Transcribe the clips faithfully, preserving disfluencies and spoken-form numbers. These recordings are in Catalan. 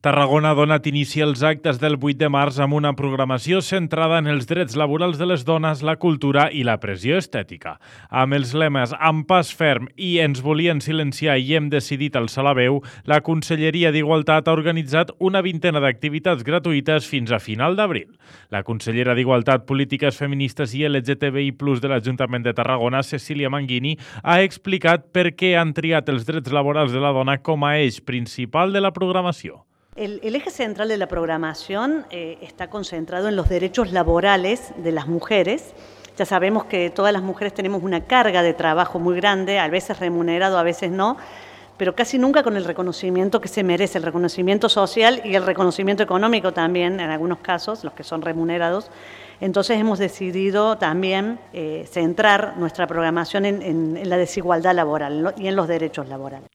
Tarragona ha donat inici als actes del vuit de març amb una programació centrada en els drets laborals de les dones, la cultura i la pressió estètica. Amb els lemes "amb pas ferm" i "ens volien silenciar i hem decidit alçar la veu", la Conselleria d'Igualtat ha organitzat una vintena d'activitats gratuïtes fins a final d'abril. La consellera d'Igualtat, Polítiques Feministes i L G T B I plus, de l'Ajuntament de Tarragona, Cecília Manguini, ha explicat per què han triat els drets laborals de la dona com a eix principal de la programació. El, el eje central de la programación eh, está concentrado en los derechos laborales de las mujeres. Ya sabemos que todas las mujeres tenemos una carga de trabajo muy grande, a veces remunerado, a veces no, pero casi nunca con el reconocimiento que se merece, el reconocimiento social y el reconocimiento económico también, en algunos casos, los que son remunerados. Entonces hemos decidido también eh, centrar nuestra programación en, en, en la desigualdad laboral y en los derechos laborales.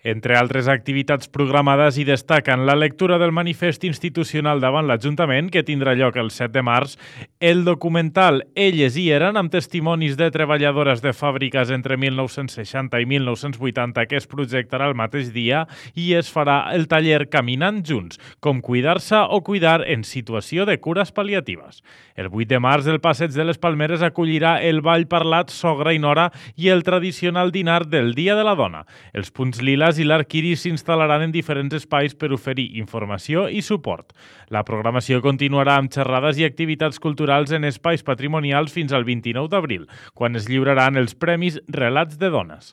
Entre altres activitats programades hi destaquen la lectura del manifest institucional davant l'Ajuntament, que tindrà lloc el set de març, el documental Elles hi eren, amb testimonis de treballadores de fàbriques entre mil nou-cents seixanta i mil nou-cents vuitanta, que es projectarà el mateix dia, i es farà el taller Caminant Junts, com cuidar-se o cuidar en situació de cures pal·liatives. El vuit de març, el Passeig de les Palmeres acollirà el ball parlat Sogra i Nora i el tradicional dinar del Dia de la Dona. Els punts liles i l'Arc Iris s'instal·laran en diferents espais per oferir informació i suport. La programació continuarà amb xerrades i activitats culturals en espais patrimonials fins al vint-i-nou d'abril, quan es lliuraran els Premis Relats de Dones.